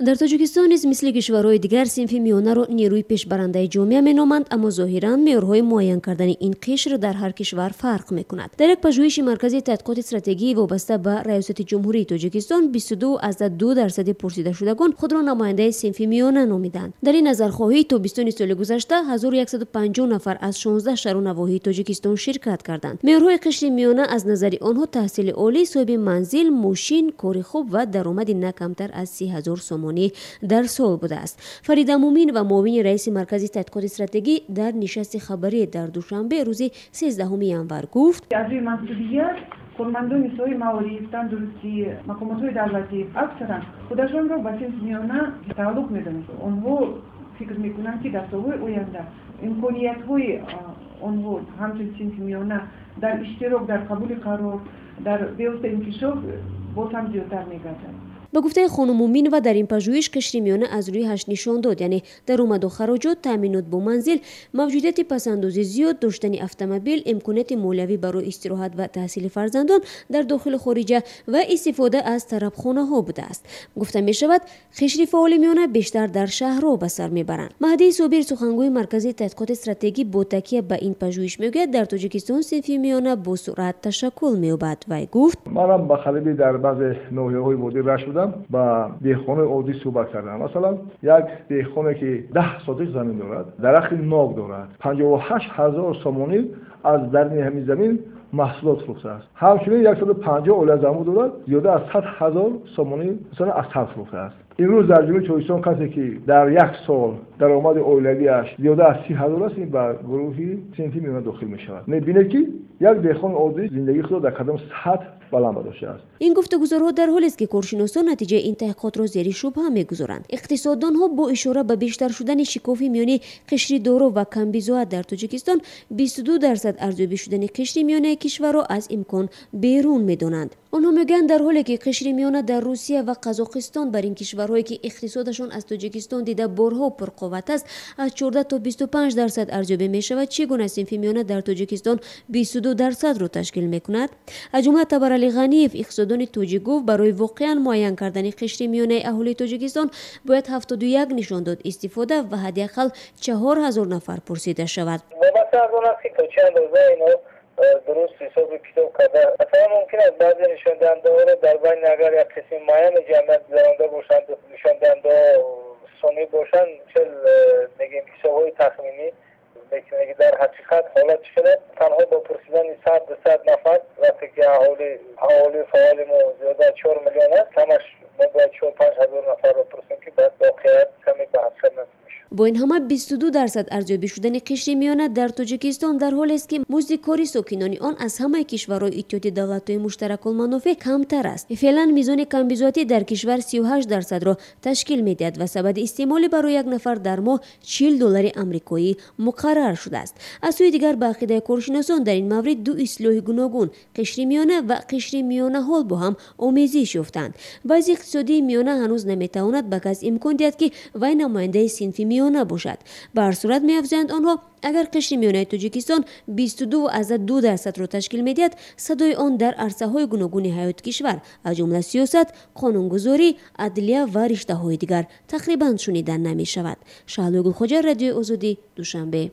Дар Тоҷикистон низ мисли кишварҳои дигар синфи миёнаро нерӯи пешбарандаи ҷомеа меноманд, аммо зоҳиран меъёрҳои муайян кардани ин қишр дар ҳар кишвар фарқ мекунад. Дар як пажӯҳиши Маркази тадқиқоти стратегии вобаста ба Раёсати Ҷумҳурии Тоҷикистон 22,2% пурсидашудагон худро намояндаи синфи миёна номиданд. Дар ин назархоҳӣ то 20 соли гузашта 1150 нафар аз 16 шаҳру навоҳии Тоҷикистон ширкат карданд. Меъёрҳои қишри миёна аз назари онҳо таҳсили олӣ, соҳиби манзил, мошин, кори хуб ва даромади на камтар аз 30 000 сомонӣ дар сол будааст. Фарида Мумин ва муовини раиси Маркази тадқиқоти стратегӣ дар нишасти хабарӣ дар Душанбе рӯзи 13 январ гуфт: Аз рӯи мансубият кормандони соҳаи маориф, тандурустӣ, мақомотҳои давлатӣ аксаран худашонро ба синфи миёна тааллуқ медонанд. Онҳо фикр мекунанд, ки дар солҳои оянда имкониятҳои онҳо ҳамчун синфи миёна дар иштирок дар қабули қарор, дар бевосита инкишоф боз ҳам зиёдтар мегардад. Ба гуфтаи хонум Муминова, дар ин пажӯҳиш қишри миёна аз рӯи ҳашт нишон дод, яъне даромаду хароҷот, таъминот бо манзил, мавҷудияти пасандози зиёд, доштани автомобил, имконияти молиявӣ барои истироҳат ва таҳсили фарзандон дар дохилу хориҷа ва истифода аз тарабхонаҳо будааст. Гуфта мешавад, қишри фаъоли миёна бештар дар шаҳрҳо ба сар мебаранд. Маҳдии Собир, сухангӯи Маркази тадқиқоти стратегӣ, бо такя ба ин пажӯҳиш мегӯяд, дар Тоҷикистон синфи миёна бо суръат ташаккул меёбад. Вай гуфт: Манам ба қариби дар баъзе ноҳияҳои водии Рашт будам, ба деҳқонои оддӣ суҳбат кардам. Масалан, як деҳқоне, ки 10 сотих замин дорад, дарахти нок дорад, 58 000 сомонӣ аз дарни ҳамин замин маҳсулот фурӯхтааст. Ҳамчунин 150 оила занбур дорад, зиёда аз 100 000 сомонӣ, масалан, асал фурӯхтааст. Имрӯз дар Ҷумҳурии Тоҷикистон касе, ки дар як сол даромади оилавиаш зиёда аз 30 000 аст, ин ба гурӯҳи синфи миёна дохил мешавад. Мебинед, ки як деҳқони оддӣ зиндагии худро дар кадом сатҳ баланд бардоштааст. Ин гуфтугузорҳо дар ҳолест, ки коршиносон натиҷаи ин таҳқиқотро зери шубҳа мегузоранд. Иқтисоддонҳо бо ишора ба бештар шудани шикофи миёни қишри доро ва камбизоат дар Тоҷикистон 22% арзёбӣ шудани қишри миёнаи кишварро аз имкон берун медонанд. Онҳо мегӯянд, дар ҳоле ки қишри миёна дар Русия ва Қазоқистон, бар ин кишварҳое ки иқтисодашон аз Тоҷикистон дида борҳо пурқувват аст, аз 14 то 25% арзёбӣ мешавад, чӣ гуна синфи миёна дар Тоҷикистон 22%-ро ташкил мекунад? Аз ҷумла Табарали Ғаниев, иқтисоддони тоҷик, гуфт, барои воқеан муайян кардани қишри миёнаи аҳолии Тоҷикистон бояд 71 нишондод истифода ва ҳадди ақал 4000 нафар пурсида шавад. Вобаста аз он аст, ки то чӣ андоза инҳо дуруст ҳисоби китоб карда. Масалан, мумкин аст баъзе нишондиҳандаҳоро дар байни агар як қисми муайяни ҷамъият гузаронда бошанд, нишондиҳандаҳо сунъӣ бошанд, чел мегӯем, ҳисобҳои тахминӣ мекунем, ки дар ҳақиқат ҳолат чӣ хел аст. Танҳо бо пурсидани 100-200 нафар, вақте ки аҳолии фаъоли мо зиёда аз 4 миллион аст, камаш мо бояд 4-5 ҳазор нафарро пурсем, ки баъд воқеият каме ба ҳақиқат наздик мешавад. Бо ин ҳама, 22% арзёбӣ шудани қишри миёна дар Тоҷикистон дар ҳолест, ки музди кори сокинони он аз ҳамаи кишварҳои Иттиҳоди Давлатҳои Муштаракулманофеъ камтар аст. Феълан мизони камбизоатӣ дар кишвар 38%-ро ташкил медиҳад ва сабади истеъмолӣ барои як нафар дар моҳ 40 доллари амрикоӣ муқаррар шудааст. Аз сӯи дигар, ба ақидаи коршиносон, дар ин маврид ду истилоҳи гуногун, қишри миёна ва қишри миёнаҳол, бо ҳам омезиш ёфтаанд. Вазъи иқтисодии миёна ҳанӯз наметавонад ба кас имкон диҳад, ки вай намояндаи синфи миёна бошад. Ба ҳар сурат, меафзоянд онҳо, агар қишри миёнаи Тоҷикистон 22,2%-ро ташкил медиҳад, садои он дар арсаҳои гуногуни ҳаёти кишвар, аз ҷумла сиёсат, қонунгузорӣ, адлия ва риштаҳои дигар, тақрибан шунида намешавад. Шаҳлои Гулхоҷа, Радиои Озодӣ, Душанбе.